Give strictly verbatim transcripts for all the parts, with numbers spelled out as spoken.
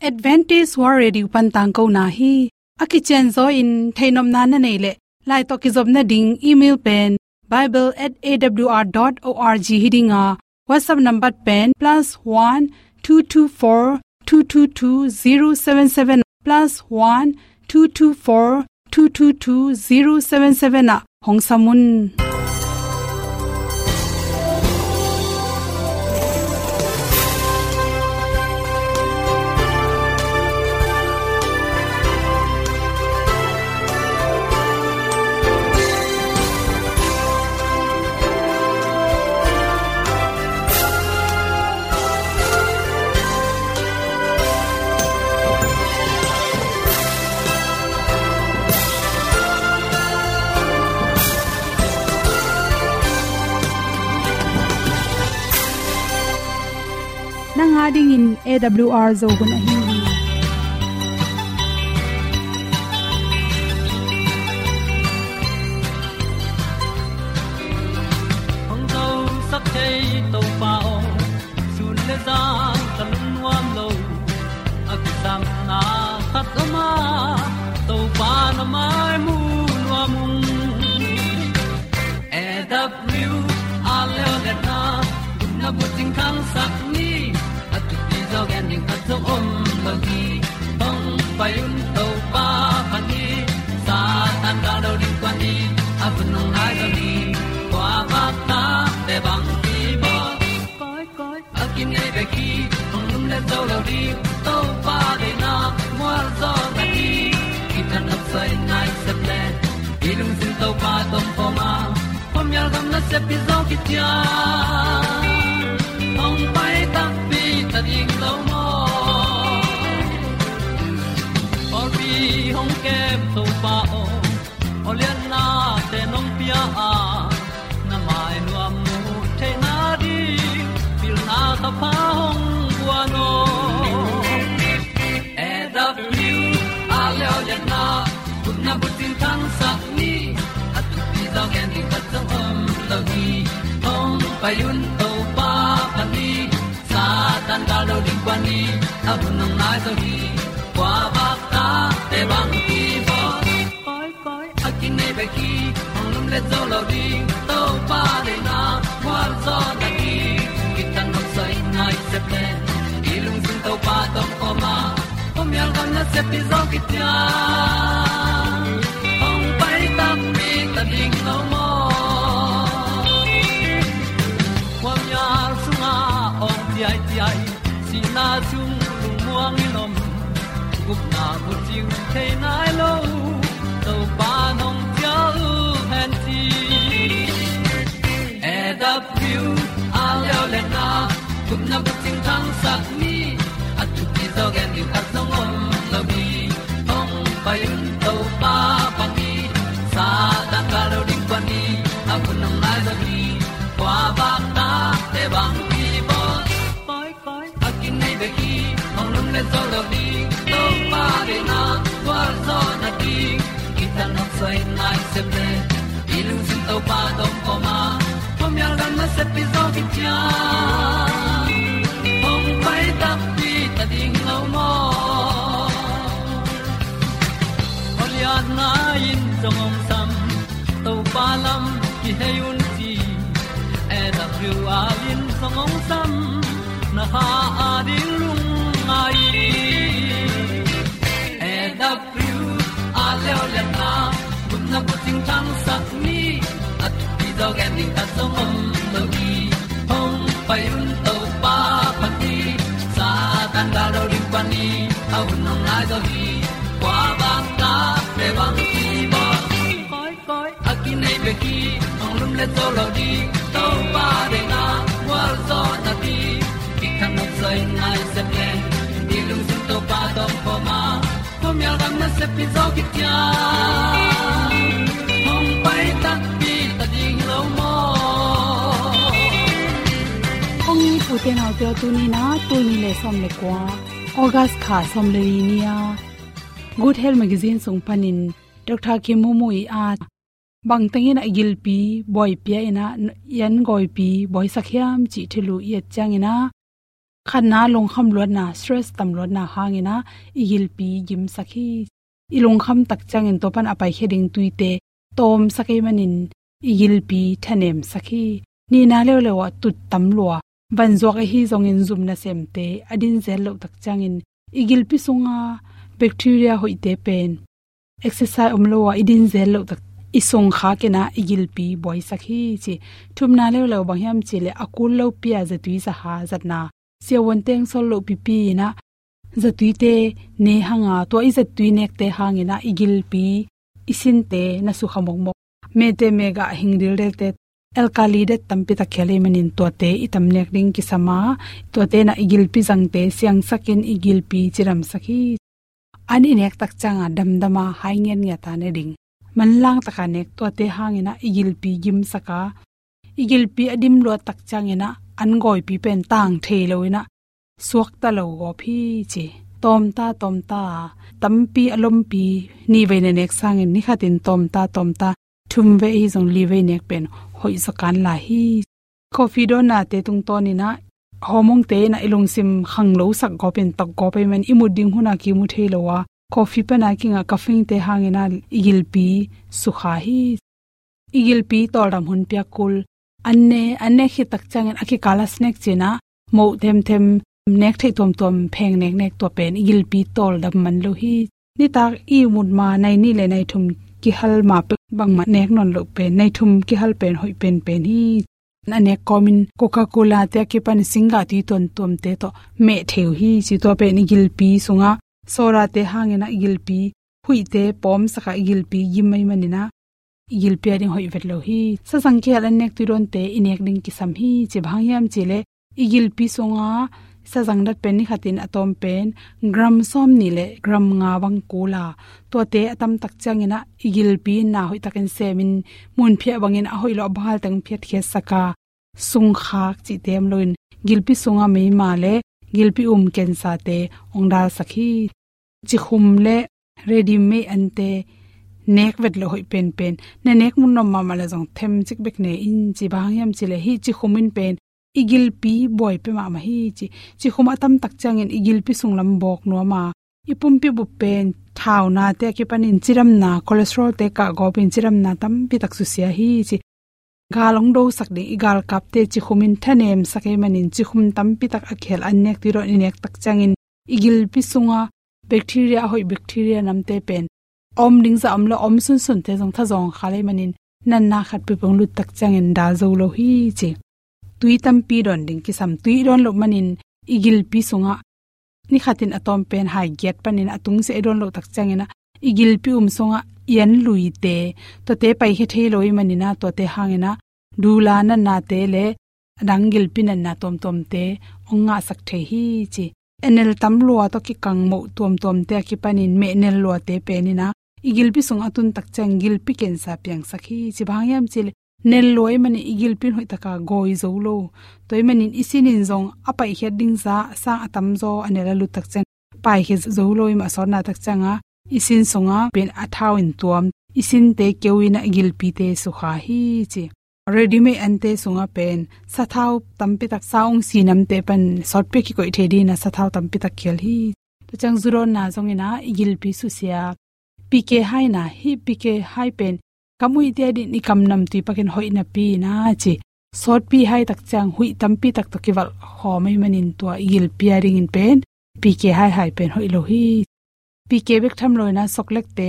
Adventist World Radio pan tangkona hi. A kicianzaw in theihnopna na neih leh, lai tawh kizopna ding email pen bible at A W R dot org hi ding a, WhatsApp number pen plus one two two four two two two zero seven seven, plus one two two four two two two zero seven seven ah hong sam un. Nang a dingin A W R Zo hun ahi hi. Hong zosak thei Topa aw, sun le zan ka lungnuam lo. A kisapna khat om a, Topa na mai mu nuam ung. A W R leo le na, gupna bucing khangsak ni, a thupi zaw gen ding khat zong om lo hi. Hong pai un Topa pan hi, Satan gal lo ding kuan hi, a hun hong nai lo hi. Kua bak ta te bang hi baw. Koi, koi, a kinei bek hi, hong lum le zo lo ding, Topa deihna mual zaw na hi. Kitang nop soi nai sep le, i lungsim Topa tawh pom a, pom yal gam na sep i zaw kician. Hong pai takpi ta ding lo maw. Pawlpi hong kem Topa aw, aw lianna te nong pia a, na mai nuam mu theihna ding, pilna ka pha hong guan aw. A W R leo le na, gupna bucing khangsak ni, a thupi zaw gen ding khat zong om lo hi. Hong pai un Topa pan hi, Satan gal lo ding kuan hi, a hun hong nai zo hi. Kua bak ta te bang hi baw. Koi, koi, a kinei bek hi, hong lum le zo lo ding, Topa deihna mual zaw na hi. Kitang nop soi nai sep le, i lungsim Topa tawh pom a, pom yal gam na sep i zaw kician. Hong pai takpi ta ding lo maw. Khuamial sungah awng ciaiciai, sihna sung lungmuang in om, gupna bucing thei nai lo, Topa nong cial hen ci. A W R leo le na, gupna bucing khangsak ni, a thupi zaw gen ding khat zong om lo hi. Hong pai un Topa pan hi, Satan gal lo ding kuan hi, a hun hong nai zo hi. Kua bak ta te bang hi baw. Koi, koi, a kinei bek hi, hong lum le zo lo ding, Topa deihna mual zaw na ding. Kitang nop soi nai sep le, i lungsim Topa tawh pom a, pom yal gam na sep i zaw kician. Hong pai takpi ta ding lo maw. Aw lianna in zong hong sam, Topa lam kihei un ci. A W R in zong hong sam, na kha a ding lungngai. A W R leo le na, gupna bucing khangsak ni, a thupi zaw gen ding khat zong om lo hi. Hong pai un Topa pan hi, Satan gal lo ding kuan hi, a hun hong nai zo hi. Kua bak ta te bang hi baw. Koi, koi, a kinei bek hi, hong lum le zo lo ding, Topa deihna mual zaw na ding. Kitang nop soi nai sep le, i lungsim Topa tawh pom a, pom yal gam na sep i zaw kician. Hong pai takpi ta ding lo maw. Kong it u te nau te aw, tuni na, tul nih le sawm le kua, August kha sawm le li ni a, Good Health Magazine sung panin Doctor Kim Mu Mu i a, bang tengin a gilpi buaipia in a, i an gawipi buaisak hiam cih thulu i et ciangin a, Khatna, lungkham luatna, stress tam luatna hangin ah i gilpi gimsak hi. I lungkham tak ciangin tua pan a paikhia ding tuite tawmsak ahih manin i gilpi thanemsak hi. Nihna leuleu ah tut tam lua, vanzuak ahi zongin zum nasemte a din zel loh tak ciangin i gilpi sunga bacteria hoihte pen exercise om lo a i din zel loh tak i sung khakin ah i gilpi buaisak hi ci. Thumna leuleu bang hiam cih leh a kul lopi a zatui zaha zatna, siavuan teng sol loh pipi in ah zatuite ne hang a, tua i zatui nekte hangin ah i gilpi i sinte na sukha mokmok. Mete megah hing dildelte alkali det tampi tak khel ahih manin tuate i tam nek ding kisam a, tuate in ah i gilpi zangte siangsakin i gilpi cidamsak hi. An i nek tak ciang a damdam a hai ngiatngiat a ne ding, manlang tak a nek, tuate hangin ah i gilpi gimsak a, i gilpi a dim luat tak ciangin ah an gawipi pen tang thei lo in ah suakta lo gawp hi ci. Tawmta tawmta, tampi a lompi, nihvei na nek sangin ni khatin tawmta tawmta, thumvei ahi zong livei nek pen hoih zaw kan lai hi. Coffee dawnnate tungtawnin ah hormone-te in ah i lungsim khanglosak gawpin, tok gawp ahih man i mut ding hun a kimu thei lo a, coffee pan a kingah caffeine-te hangin ah i gilpi sukha hi. I gilpi tawldam hun piak kul. An ne, an nek khit tak ciangin a kikal a snack cih in ah moh themthem, nek theih tuamtuam pheng neknek, tua pen i gilpi tawldam man lo hi. Nitak i mut ma nai nih le nai thum kihal ma pek bangmah nek nawn loh pen, nai thum kihal pen hoih penpen hi. A nek kawmin Coca-Cola-te a kipan singgah tui tuamtuamte tawh meh thei uh hi ci. Tua pen i gilpi sungah soda-te hangin ah i gilpi huihte pawmsak a, i gilpi gim ahih manin ah i gilpi a ding hoih vet lo hi. Sazang kihel an nek tui dawnte i nek ding kisam hi ci. Bang hang hiam cih leh i gilpi sunga sazang dat pen ni khatin a tawm pen gram sawmnih le gram nga bang kul a, tuate a tam tak ciangin ah i gilpi in na hoih takin semin, munphiah bangin a hoih lo a bang hal teng phiatkhiatsak a, sungkhak cihte om loin gilpi sunga meima le gilpi um cancer-te hong dalsak hi. Cikhum le ready-made ante nek vet loh hoih penpen. Na nek mun nuam mahmah leh zong themcik bek ne in ci. Bang hang hiam cih leh hih cikhum in pen i gilpi buai pia mahmah hi ci. Cikhum a tam tak ciangin i gilpi sung lam bawk nuam a, i pumpi bup pen thaunate a kipanin cidamna, cholesterol-te kah gawpin cidamna tampi tak susia hi ci. Gal hong dosak ding i galkapte cikhum in thanemsak ahih manin cikhum tampi tak a kihel an nek tui dawn i nek tak ciangin i gilpi sunga bacteria, a hoih bacteria namte pen a om ding zah om lo, a om sunsunte zong thazawng khal ahih manin natna khat peuhpeuh hong lut tak ciangin dal zo lo hi ci. Tui tampi dawn ding kisam. Tui i dawn loh manin i gilpi sungah ni khatin a tawm pen hai giat panin a tungsiah i dawn loh tak ciangin ah i gilpi um sungah i an luite, tuate paikhia thei lo ahih manin ah tuate hangin ah dula natnate le a dang gilpi natna tuamtuamte hong ngahsak thei hi ci. Enel tam lua tawh kikang moh tuamtuamte a kipanin mehnel luate pen in ah i gilpi sungah a tun tak ciang gilpi cancer piangsak hi ci. Bang hang hiam cih leh nel lua ahih manin i gilpi in hoih taka gawi zo lo. Tua ahih manin i sin in zong a paikhiat ding zah sang a tamzaw a nel a lut tak ciang paikhia zo lo ahih mah, a sawtna tak ciangah i sin sungah pen a thau in tuam, i sinte keu in ah i gilpite sukha hi ci. Ready-made ante sungah pen sathau tampi tak, sa ung si namte pan sawtpi a kikoih thei dingin ah sathau tampi tak khel hi. Tua ciang zu dawnna zongin ah i gilpi susia. P K hai na, hih P K hai pen kam uih te adingin i kam namtui pakin hoih napi in ah ci. Sawtpi hai tak ciang huih tampi tak tawh kivalh khawm ahih manin tua i gilpi a dingin pen P K hai hai pen hoih lo hi. P K bek tham lo in ah soklekte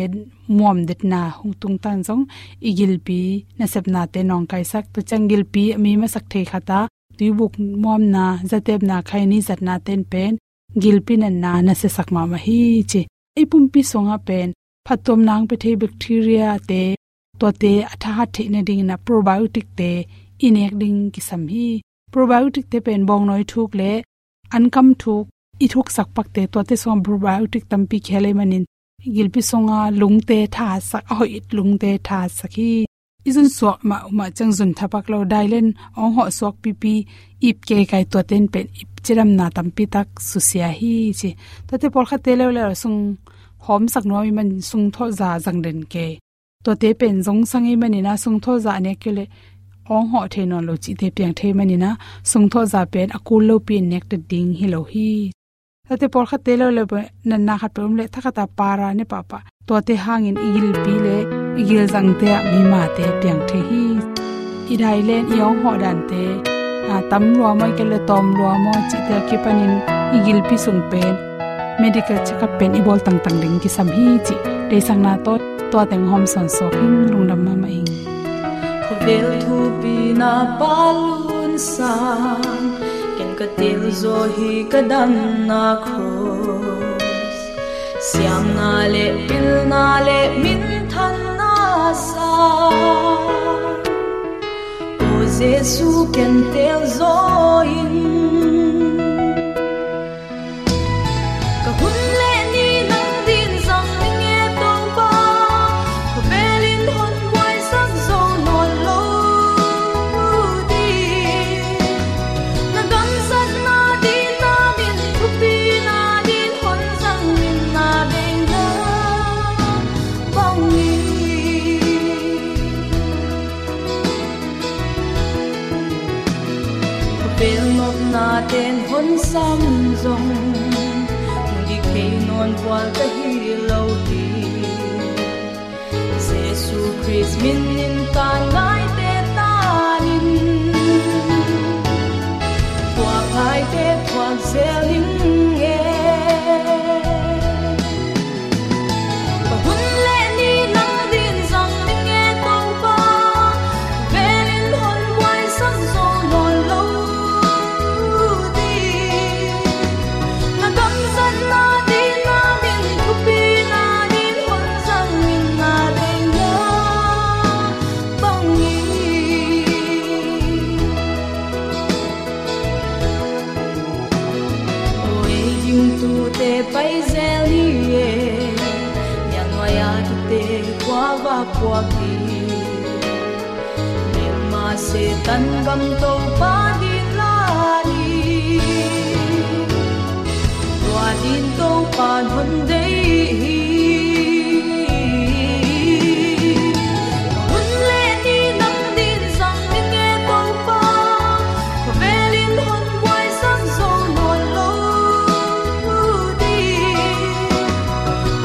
muam detna hong tungtan zong i gilpi nasepnate nawngkaisak. Tua ciang gilpi a mi masak thei khat a tuibuk muamna, zatepna, khaini zatnate in pen gilpi natna nasiasak mahmah hi ci. I pumpi sungah pen phattuamna hong pia thei bacteriate, tuate a thahat theih nadingin ah probiotic-te i nek ding kisam hi. Probiotic-te pen bawngnawi thuk le ankam thuk i thuksak pakte, tuate sungah probiotic tampi kihel ahih manin gilpi sunga lungte thahatsak, a hoih lungte thahatsak hi. I zunsuak mahmah ciang zun thapak lo, dailen hong hawh suak pipi, ip keikai, tuate in pen ip cidamna tampi tak susia hi ci. Tuate pawlkhatte leuleu sung hawmsak nuam ahih manin sungthawh za zang den kei. Tuate pen zongsang ahih manin ah sungthawh za a nek kei leh awng hawh thei nawn lo cihte piang thei manin ah, sungthawh za pen a kul lopi in nektat ding hi lo hi. Tate pawlkhatte lo le natna khat peuh om leh thakhat a para ne pahpah. Tuate hangin i gilpi le i gilzangte ah mimate piang thei hi. I dai len i awng hawh dante, a, tam lua maw, i kei le tawm lua maw cihte a kipanin i gilpi sung pen medical check-up pen i bawl tangtang ding kisam hi cih deihsakna tawh tua teng hawm sawn sawk ing. Lungdam mahmah ing. Khawvel thupi na pa lun sang, ken ka tel zaw hi ka damna cross. Siamna le pilna le minthanna sang, O Jesu, ken tel zaw in. Ka hun le ni nang din zang ning e Topa, khawvel in hon buaisak zo nawn lo ding. Na gamzatna din, na min thupina din hon zang in, na deihna bangin. Khawvel nopna ten hon sam zong, hong dik thei nawn vual ka hi lo hi. Jesu Khrist min in taan ngaite tangin, thuak ngaite thuak zel ning e. Ka hun le ni nang din zang ning e Topa, khawvel in hon buaisak zo nawn lo ding. Na gamzatna din, na min thupina din hon zang in, na deihna bangin. Oi, dingtute pai zel ni e, niannuai a kite khua va puak hi. Mema Setan gam Topa din la ni, tua din Topa hon deih hi. Ka hun le ni nang din zang ning e Topa, khawvel in hon buaisak zo nawn lo ding.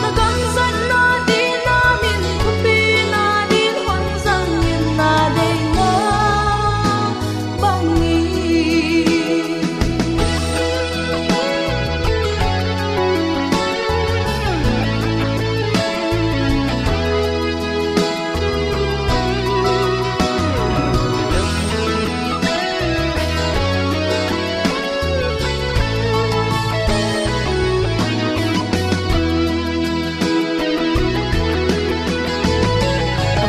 Na gamzatna din, na min thupina din hon zang in, na deihna bangin.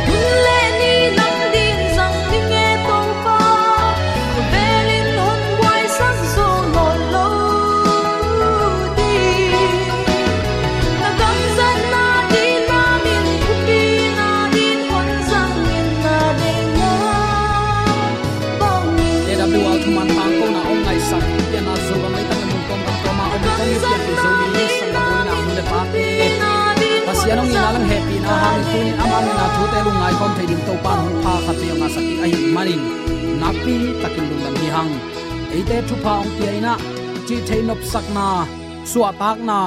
Hun le ni nang din zang ning e Topa, khawvel in hon buaisak zo nawn lo ding. Na gamzatna din, na min thupina din hon zang in, na deihna bangin. A W R thuman tangkona hong ngaihsak, pianna Zo gam leitang le mun tuamtuam a om kong i pianpih Zomi sanggamnu, u le nau, nu le pate, Pasian hong itna le hong hehpihna hangin tuni-in ama min a thute lungngai khawm thei ding Topa'n hong pha khat vei hong ngahsak ding ahih manin nakpi takin lungdam hi hang. Eite thupha hong pia in ah, cih theih nopsakna, suahtakna,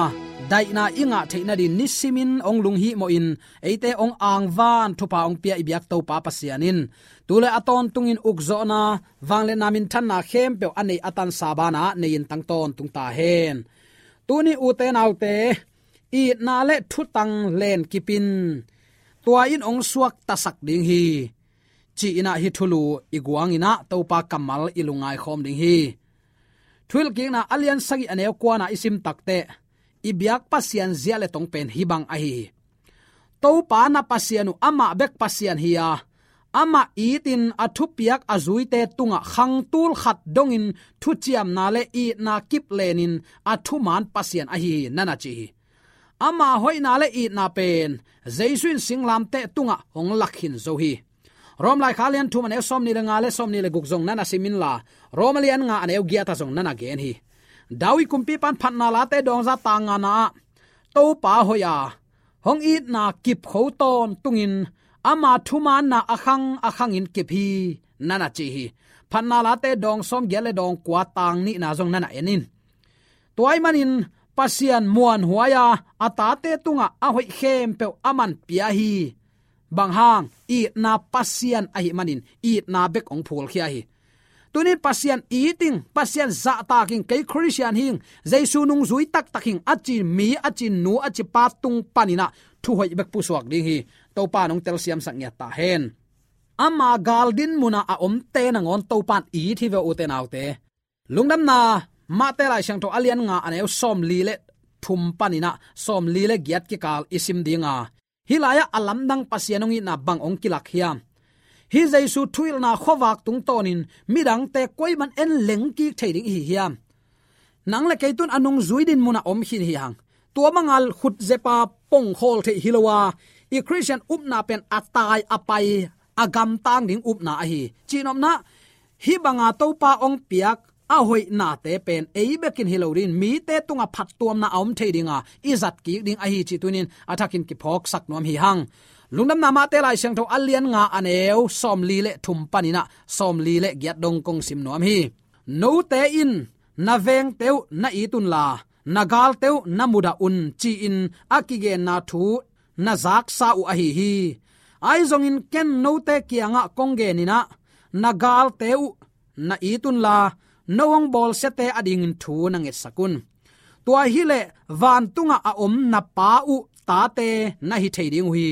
daihna i ngah theih nadingin nisimin hong lunghihmawhin, eite hong angvan thupha hong pia i biak Topa Pasian in tu le a tawntungin ukzawhna, vangliatna, minthanna khempeuh a neih a tansa banah nei-in tang tawntung ta hen. Tuni ute naute, itna le thutang lenkip in tua in hong suaktasak ding hi, ci-in ah hih thulu i guangin ah Topa kammal i lungngai khawm ding hi. Thuhilhkikna a lian sagih a neu kuana i sim takteh, i biak Pasian zia le tong pen hih bang ahi hi. Topa na Pasian uh amah bek Pasian hi a, amah itin a thupiak a zuite tungah khang tul khat dongin thuciamna le itna kip lenin a thuman Pasian ahi hi, na na ci hi. Ama hoihna le itna pen Jesu in singlamteh tungah hong lak khin zo hi. Rom laikhak a lian thum a neu sawmnih le nga le sawmnih le guk zong na na sim inla, Rom a lian nga a neu giat ah zong na na gen hi. David kumpipa'n Phatna Late dawngza tang ngana ah, Topa hoih a, hong itna kip kho tawntungin ama thumanna a khang a khangin kip hi, na na ci hi. Phatna Late dawng sawm giat le dawng kua tang nihna zong na na en in. Tua ahih manin Pasian muanhuai-a a tate tungah a hoih khempeuh aman pia hi. Bang hang, itna Pasian ahih manin itna bek hong phulkhia hi. Tunin Pasian it ing, Pasian zahtak ing, kei Khristian hi ing, Jesu nungzui taktak hi ing, a ci mi, a ci nu, a ci pa tung paninah thuhoih bek pusuak ding hi. Topa in hong telsiamsak ngiat ta hen. Ama gal din munah a omte nangawn Topa in it hi ve, ute naute. Lungdamna Mate Lai Siangtho a lian nga a neu sawmli le thum paninah sawmli le giat kikal i sim dinga, hih lai-ah a lamdang Pasian hong itna bang hong kilak hiam? Hih Jesu thuhilhna khuavak tungtawnin midangte koi man en leng kik thei ding i hi hiam? Nang le kei tun a nungzui din munah om khin hi hang. Tua banga khutzepa pongkhawl theih hi lo a, i Khristian upna pen a tai a pai, a gamtang ding upna ahi. Cihnopna, hih banga Topa hong piak a hoihnate pen ei bekin hi lo dingin mite tungah phattuamna a om thei dinga i zat kik ding ahi cih tunin a thakin kiphawksak nuam hi hang. Lungdamna Mate Lai Siangtho a lian nga a neu sawmli le thum paninah sawmli le giat dong kong sim nuam hi. Note in na vengte uh na it unla, na galte uh na mudah un, ci-in a kigenna thu na zaksa uh ahi hi. Ahi zongin ken note kiangah kong geninah, na galte uh na it unla, no hong bawlsiate adingin thu na ngetsak un. Tua hileh vantungah a om na Pa uh tate na hi thei ding uh hi.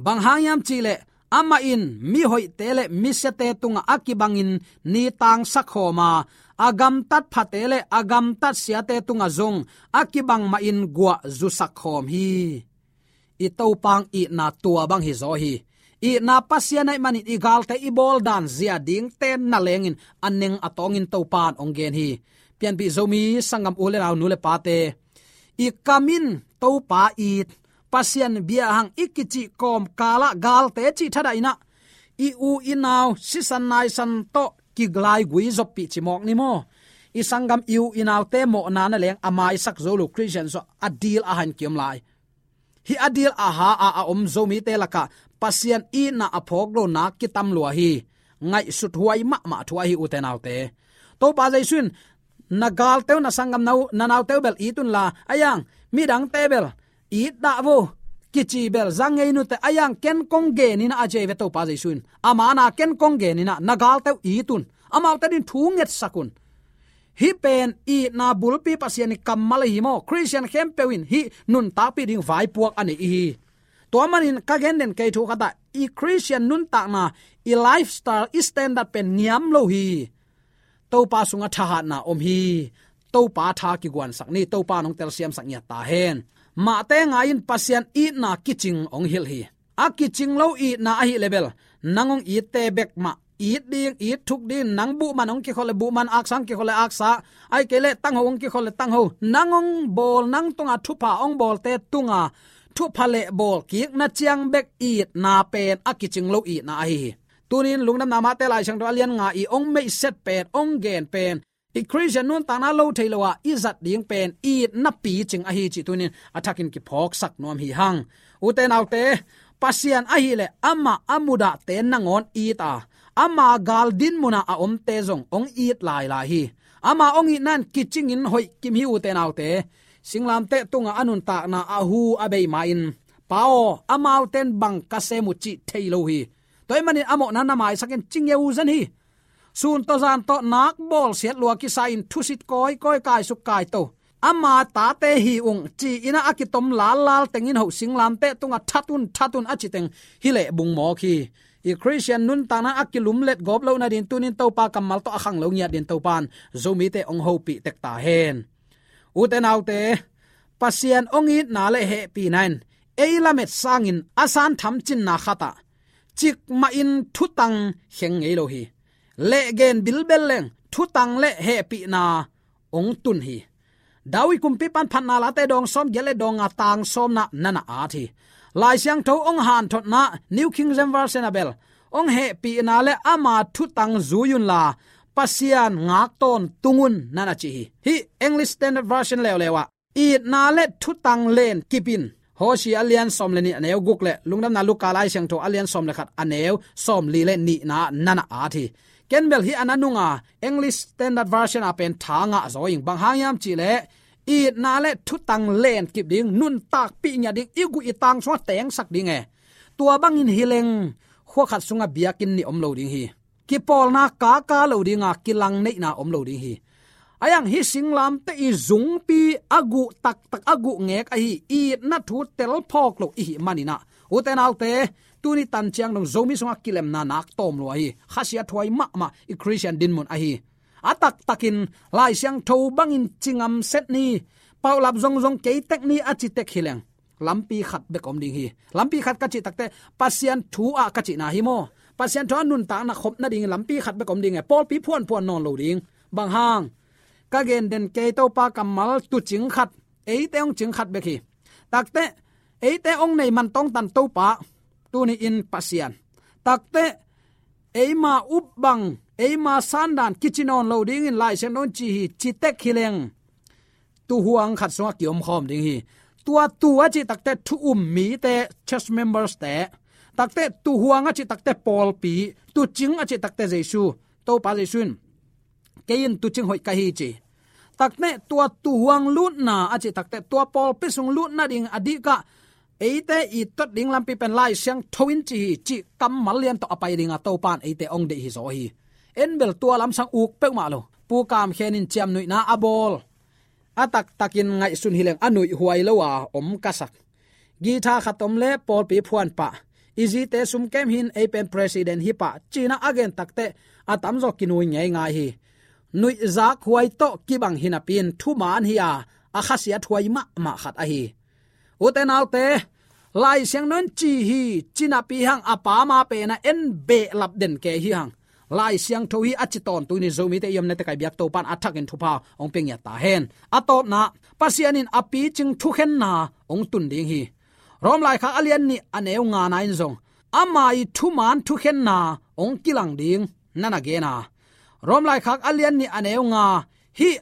Bang hang hiam cihleh, amah in mihoihte le misiate tungah a kibangin ni tangsak khawm a, a gamtat phate le a gamtat siate tungah zong a kibang mahin guah zusak khawm hi. I Topa hong itna tua bang hi zaw hi. Itna Pasian ahih manin i galte i bawl dan zia dingte na lengin a neng a tawngin Topa in hong gen hi. Pianpih Zomi sanggam u le nau, nu le pate, i kam in Topa it, Pasian bia hang i kicih kawmkalah galte cih thadahinah i u i nau sisan naisan tawh kilaigui zoppih ci mawk ni maw? I sanggam i u i naute mawhna na leng a maisak zo lo Khristian sua a dil a han kiom lai. Hih a dil a ha a a om Zomite lakah Pasian itna a phawk lo nak kitam lua hi. Ngaihsut huai mahmah thu ahi, ute naute. Topa Jesu in na galte uh, na sanggam na u, na naute uh bel it unla, a iang midangte bel it dah vo, kici bel za ngei nute, a iang ken kong geninah a ci ve Topa Jesu in. Ama na ken kong geninah na galte uh it un. Amaute din thu ngetsak un. Hih pen itna bulpi Pasian i kammal ahi maw? Khristian khempeuh in hih nuntakpih ding vaipuak a nei ihi. Tua manin ka gen den kei thu khatah, i Khristian nuntakna, i lifestyle, i standard pen ngiam lo hi. Topa sungah thahatna om hi. Topa tha kiguansak ni, Topa nong telsiamsak ngiat ta hen. Mahte ngai in Pasian itna kicing hong hilh hi. A kicing lo itna ahih leh bel nang hong itte bek mah, it ding, it thuk ding, nang buhman hong kikhol le buhman, aksa hong kikhol le aksa, ahih kei leh tangho hong kikhol le tangho, nang hong bawl, nang tunga thupha hong bawlte tunga thupha le bawl kikna ciang bek itna pen a kicing lo itna ahi hi. Tunin Lungdamna Mate Lai Siangtho a lian nga i hong meihset pen, hong gen pen, i Khristian nuntakna lo thei lo a i zat ding pen itna picing ahi cih tunin a thakin kiphawksak nuam hi hang. Ute naute, Pasian ahih leh amah a mudahte nangawn it a, ama gal din munah a omte zong hong it lailai hi. Ama hong itna in kicingin hoih kim hi, ute naute. Singlamteh tungah a nuntakna a hu a bei ma-in, Pa aw, amaute in bang ka sem uh cih thei lo hi. Tua ahih manin a mawhna na maisak in ci ngeu zen hi. Sun tawh zan tawh nak bawlsiat lua kisa-in thusit kawikawi, kaisuk kaito, ama tate hi ung ci-in a kitom lallal tengin hoh singlamteh tungah that un, that un a ci teng hi leh bung mawk hi. I Khristian nuntakna a kilumlet gawp loh nading tunin Topa kammal tawh a khang lo ngiat din Topa in Zomite hong hopih tek ta hen. Ute naute, Pasian hong itna le hehpihna in ei lamet sangin a san thamcinna khatah cikmahin thutang kheng ngei lo hi. Lehgen bilbel leng thutang le hehpihna hong tun hi. David kumpipa'n Phatna Late dawng sawm giat le dawng nga tang sawmna na na at hi. Lai Siangtho hong hanthotna New King James Version ah bel hong hehpihna le ama thutang zui unla Pasian ngak tawntung un na na ci hi. Hih English Standard Version leuleu ah itna le thutang len kip in, Hosea a lian sawm le nih a neu guk le Lungdamna Luka Lai Siangtho a lian sawm le khat a neu sawmli le nihna na na at hi. En bel hih a na nunga English Standard Version a pen tha ngah zaw ing. Bang hang hiam cih leh, itna le thutang len kip ding, nuntakpih ngiat ding, i guh i tang sungah tengsak ding e. Tua bangin hi leng, khua khat sungah biakinn nih om lo ding hi. Kipawlna kaka lo dinga, kilang neihna om lo ding hi. A hiang hih singlamteh i zungpi a guh taktak, a guh ngek ahi, itna thu telphawk lo i hih manin ah, ute naute, tuni tan ciang dong Zomi sungah kilemna nak tawm lua hi. Khasiat huai mahmah i Khristian dinmun ahi. A taktakin Lai Siangtho bangin ci ngam set ni, paulap zongzong kei tek ni a ci tek hi leng, lampi khat bek om ding hi. Lampi khat ka cih takteh, Pasian thu ah ka cihna hi maw? Pasian thu ah nuntakna khop nading lampi khat bek om ding e. Pawlpi phuanphuan nawn lo ding. Bang hang? Ka gen den kei, Topa kammal, tuucing khat, eite hong cing khat bek hi. Takteh, eite hong nei man tawngtan Topa, tuni in Pasian. Takteh, eima up bang, eima sandan kici nawn lo dingin Lai Siangtho in ci hi, ci tek hi leng, tuuhuang khat sungah kiomkhawm ding hi. Tua tuu a cih takteh thu um mite, church members te. Takteh tuuhuang a cih takteh pawlpi, tuucing a cih takteh Jesu, Topa Jesu in, kei in tuucing hoih ka hi ci. Takteh tua tuuhuang lutna a cih takteh tua pawlpi sung lutna ding a dihkah eite i tot ding lampi pen Lai Siangtho in ci hi, cih kammal lian tawh a pai dinga Topa in eite hong deih hi zaw hi. En bel tua lamsang uk peuhmah lo. Pu Kam Khen in ciamnuihna a bawl, a taktakin ngaihsun hi leng a nuih huai lo a om ka sak. Guitar khat om le pawlpi phuan pah, i zite sumkem hin ei pen president hi pah, ci-in a gen takteh a tamzaw kinui ngeingai hi. Nuihzak huai tawh kibang hi napi-in thuman hi a, a khasiat huai mahmah khat ahi. Ute naute, Lai Siangtho in ci hi, ci napi hang a pa ma pen a en behlap den kei hi hang. Lai Siangtho hi a ci tawntung ni Zomite i omna tekai biak Topa in a thakin thupha hong pia ngiat ta hen. A tawpna, Pasian in a picing thukhenna hong tun ding hi. Rom laikhak a lian nih a neu ngana in zong ama i thuman thukhenna hong kilang ding na na gen a. Rom laikhak a lian nih a neu nga, hih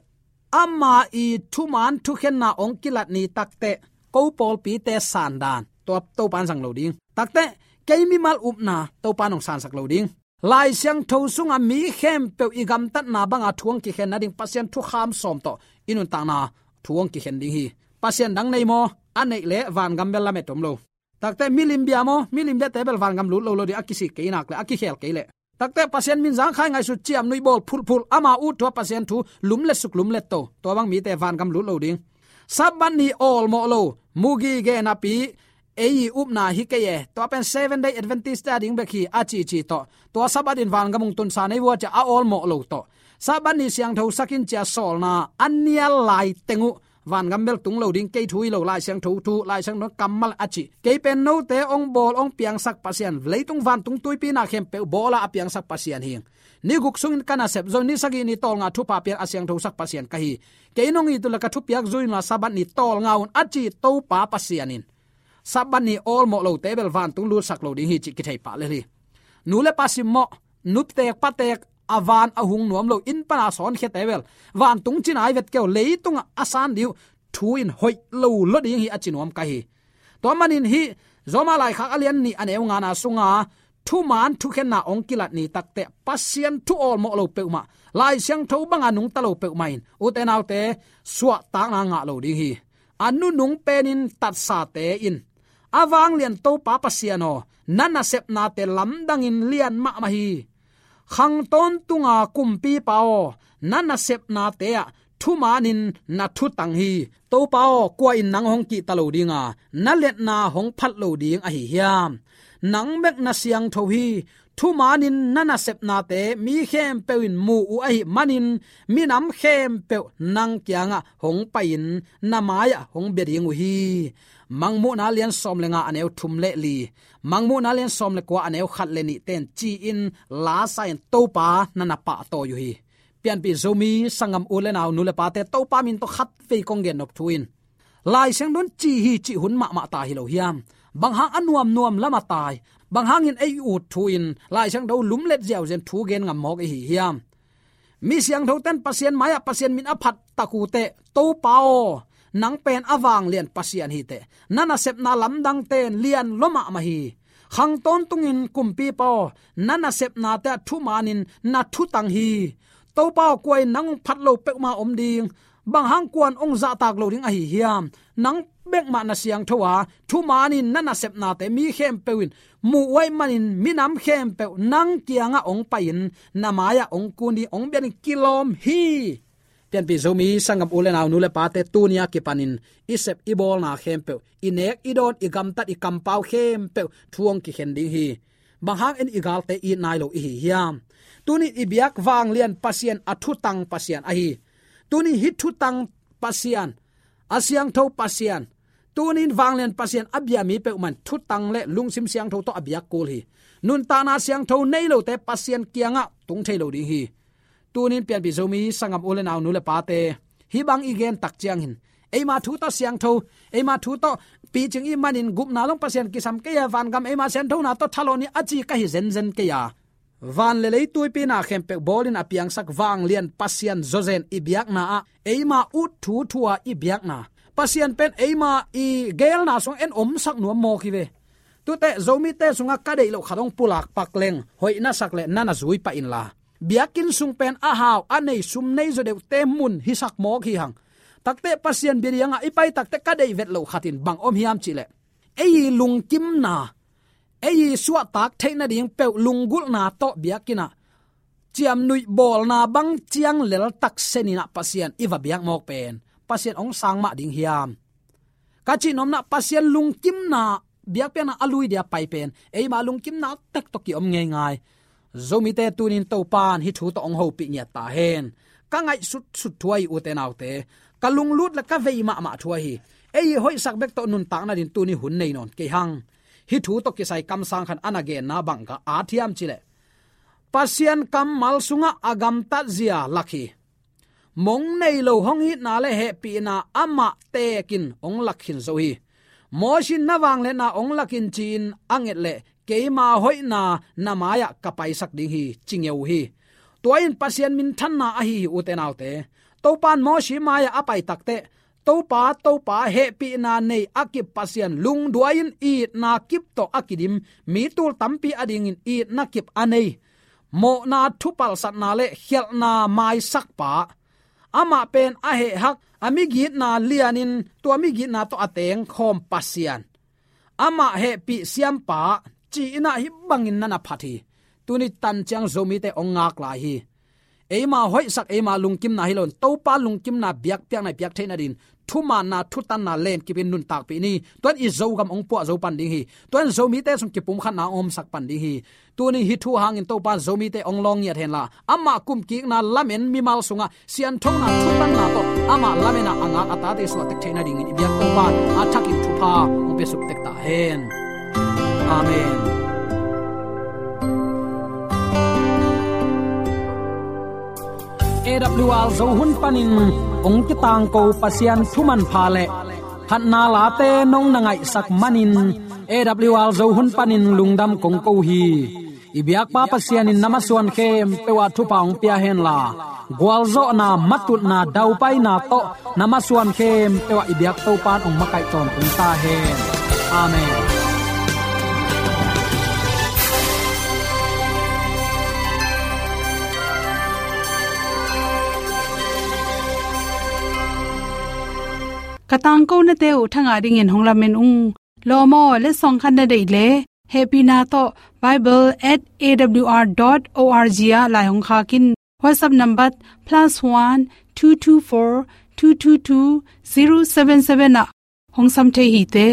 ama i thuman thukhenna hong kilat ni takteh, ko pawlpite sandan, tua Topa in zang lo ding. Takteh, kei mimal upna Topa in hong sansak lo ding. Lai Siangtho sunga mi khempeuh i gamtatna banga thu hong kikhen nading Pasian thukham sawm tawh i nuntakna thu hong kikhen ding hi. Pasian dang nei maw? A neih leh vangam bel lamet om lo. Takteh milim bia maw? Milim biate bel vangam lut lo lo ding, a kisik kei nak leh, a kikhel kei leh. Takteh Pasian min zangkhai ngaihsut, ciamnuih bawl phulhphulh, ama ut thu a Pasian thu lumlet suk lumlet to, tua bang mite vangam lut lo ding. Sabbath ni awlmawh lo, mu gige napi, ei i upna hi kei e, tua pen Seven Day Adventist te a ding bek hi a cici tawh, tua Sabbath in vangam hong tunsa nei vua ci a awlmawh lo tawh, Sabbath ni siangthosak in ci a sawlna a nial lai teng uh vangam bel tung lo ding, kei thu hi lo, Lai Siangtho thu, Lai Siangtho kammal a ci. Kei pen note hong bawl hong piangsak Pasian, leitung vantung tuipi na khempeuh bawla a piangsak Pasian hi. Ni guk sungin ka nasep zo, ni sagih ni tawlnga thupha pian a siangthosak Pasian ka hi. Kei in hong it uh leh ka thupiak zui un la, Sabbath ni tawlnga un a ci Topa Pasian in Sabbath ni awlmawh lote bel vantung lutsak lo ding hi cih kithei pah lel hi. Nu le pa simmawh, nuteek pateek, a van a hung nuam lo, inn pana sawnkhiate bel vantung cina i vet kei uh, leitungah a san ding uh thu in hoih lo lua ding hi a ci nuam ka hi. Tua manin hih Roma laikhak a lian nih a neu ngana sunga thuman thukhenna hong kilat ni takteh Pasian thu awlmawh lo peuhmah, Lai Siangtho banga nungta lo peuhmah in, ute naute, suahtakna ngah lo ding hi. A nunung penin tatsate in, a vanglian Topa Pasian aw, na nasepnate lamdangin lian mahmah hi. Khang tawntunga kumpipa aw, na nasepnate ah thumanin na thutang hi. Topa aw, kua in nang hong kihta lo dinga, na liatna hong phat lo ding ahi hiam? Nang bek na siangtho hi. Thumanin na nasepnate mi khempeuh in mu uh ahih manin, minam khempeuh nang kiangah hong pai-in na mai-ah hong bia ding uh hi. Mangmuhna lian sawm le nga a neu thum le li, Mangmuhna lian sawm le kua a neu khat le nih ten ci-in lasa in Topa na na pahtawi uh hi. Pianpih Zomi sanggam u le nau, nu le pate, Topa min tawh khatvei kong gen nop thu in, Lai Siangtho in ci hi cih hun mahmah ta hi lo hiam? Bang hang a nuamnuam lama tai, bang hangin ei ut thu in Lai Siangtho lumlet ziauziau thu gen ngam mawk i hi hiam? Mi siangthoten Pasian mai-ah Pasian min a phat tak uh teh, Topa aw, nang pen a vanglian Pasian hi teh, na nasepna lamdangte in lian lua mahmah hi. Khang tawntungin Kumpipa aw, na nasepnate ah thumanin na thutang hi. Topa aw, kua in nang hong phat lo peuhmah om ding, bang hang kuan hong zahtak lo ding ahi hiam? Nang bekmah na siangtho a, thumanin na nasepnate mi khempeuh in muh uh ahih manin minam khempeuh nang kiangah hong pai-in na mai-ah hong kun ding, hong biak ding kilawm hi. Pianpih Zomi sanggam u le nau, nu le pate, tuni a kipanin i sep i bawlna khempeuh, i nek i dawn, i gamtat, i kampau khempeuh thu hong kikhen ding hi. Bang hang in i galte it nai lo i hi hiam? Tuni i biak vanglian Pasian a thutang Pasian ahi. Tuni hih thutang Pasian, a siangtho Pasian, tuni in vanglian Pasian a bia mi peuhmah in thutang le lungsim siangtho tawh a biak kul hi. Nuntakna siangtho nei lote Pasian kiangah tung thei lo ding hi. Tuni in pianpih Zomi sanggam u le nau, nu le pate, hih bang i gen tak ciangin eima thu tawh siangtho, eima thu tawh picing i hih manin gupna zong Pasian kisam kei a, vangam eima sianthona tawh thalawh ni a ci ka hi zenzen kei a. Van le lei tuipi na khempeuh bawlin a piangsak vanglian Pasian zawzen i biakna ah eima ut thu thu a i biakna, Pasian pen eima i geelna sungah en omsak nuam mawk hi ve. Tute Zomite sungah ka deih loh khat hong pulak pak leng, hoih na sak le na na zui pah inla, biakinn sung pen a hau a nei, sum nei zaw deuhte mun hisak mawk hi hang. Takte Pasian bia dingah i pai takte ka deih vet loh khat in bang om hiam cih leh, ei i lungkimna, ei i suahtak theih nading peuh lunggulhna tawh biakinn ah ciamnuih bawlna bang ciang lel tak senin ah Pasian i va biak mawk pen Pasian hong sang mah ding hiam? Ka cih nuamna, Pasian lungkimna, biakpiakna a lui dia pai pen eima lungkimna tek tawh kiom ngeingai. Zomite, tuni in Topa in hih thu tawh hong hopih ngiat ta hen. Ka ngaihsutsut thu ahi, ute naute, ka lunglut le ka vei mahmah thu ahi. Ei i hoihsak bek tawh nuntak nading tuni hun nei nawn kei hang. Hih thu tawh kisai kamsang khat a na genna bang ka at hiam cih leh, Pasian kammal sungah a gamtatzia lak hi. Mong nei lo hong itna le hehpihna amah tekin hong lak khin zo hi. Mosi in na vangliatna hong lak in ci-in a nget leh keima hoihna na mai-ah ka paisak ding hi, ci ngeu hi. Tua in Pasian minthanna ahi hi, ute naute. Topa in Mosi mai-ah a pai takteh, Topa, Topa, hehpihna nei a kip Pasian, lungduai-in itna kip tawh a kidim, mi tul tampi adingin itna kip a nei, mawhna thupalsatna le khialhna maisakpa, amah pen a heh hak, a migitna lianin tua migitna tawh a tengkhawm Pasian, amah hehpih siampa, ci-in ah hih bangin na na phat hi. Tuni tan ciang Zomite hong ngak lai hi. Eima hoihsak, eima lungkimna hi loin, Topa lungkimna biakpiakna i piak theih nadingin thumaanna, thutanna lenkipin nuntakpih ni. Tua in i Zogam hong puah zo pan ding hi. Tua in Zomite sung kipumkhatna hong omsak pan ding hi. Tuni hih thu hangin Topa in Zomite hong lawng ngiat henla, amah kumkikna lamen mimal sungah sianthona thutanna tawh amah lamen a ngak a tate suah tek theih nadingin i biak Topa in a thakin thupha hong pia suk tek ta hen. Amen. A W R Zo hun panin hong kitangko Pasian thu manpha le phatna late nong na ngaihsak manin, A W R Zo hun panin lungdam kong ko hi. I biakpa Pasian in na masuan khempeuh ah thupha hong pia henla, gualzawhna, matutna, daupaina tawh na masuan khempeuh ah i biak Topa in hong makaih tawntung ta hen. Amen. Ka tangkonate uh thangah dingin hong lamen ung. Lawm aw, letsong khat na deih leh, hehpihna tawh bible at A W R dot O R G ah lai hong khak in. WhatsApp number plus one two two four two two two zero seven seven ah hong sam thei hi te.